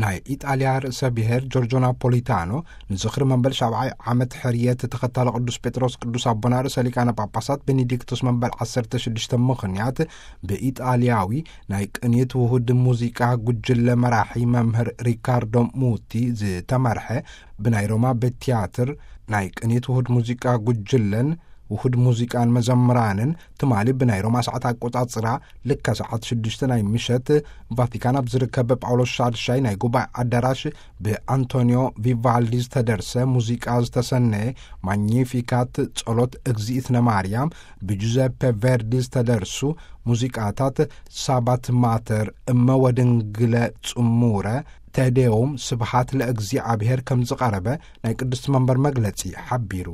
ናይ ኢጣልያ ርእሰ ብሔር ጆርጆ ናፖሊታኖ ንዝኽሪ መበል ሻብዓይ ዓመት ሕርየት ተኸታሊ ቅዱስ ጴጥሮስ ቅዱስ ኣቦና ርእሰ ሊቃነ ጳጳሳት ቤኔዲክቶስ መበል ዓሰርተ ሽዱሽተ ምኽንያት ብኢጣልያዊ ናይ ቅኒት ውሁድ ሙዚቃ ጉጅለ መራሒ መምህር ሪካርዶ ሙቲ ዝተመርሐ ብናይ ሮማ ቤት ቲያትር ናይ ቅኒት ውሁድ ሙዚቃ ጉጅለን ውሁድ ሙዚቃን መዘምራንን ትማሊ ብናይ ሮማ ሰዓት ኣቆጻጽራ ልካ ሰዓት ሽዱሽተ ናይ ምሸት ቫቲካን ኣብ ዝርከብ ጳውሎስ ሻድሻይ ናይ ጉባኤ ኣዳራሽ ብኣንቶኒዮ ቪቫልዲ ዝተደርሰ ሙዚቃ ዝተሰነየ ማግኒፊካት ጸሎት እግዚእትነ ማርያም ብጁዘፔ ቨርዲ ዝተደርሱ ሙዚቃታት ሳባት ማተር እመ ወድንግለ ጽሙረ ተዴዎም ስብሃት ለእግዚኣብሔር ከም ዝቐረበ ናይ ቅድስቲ መንበር መግለጺ ሓቢሩ።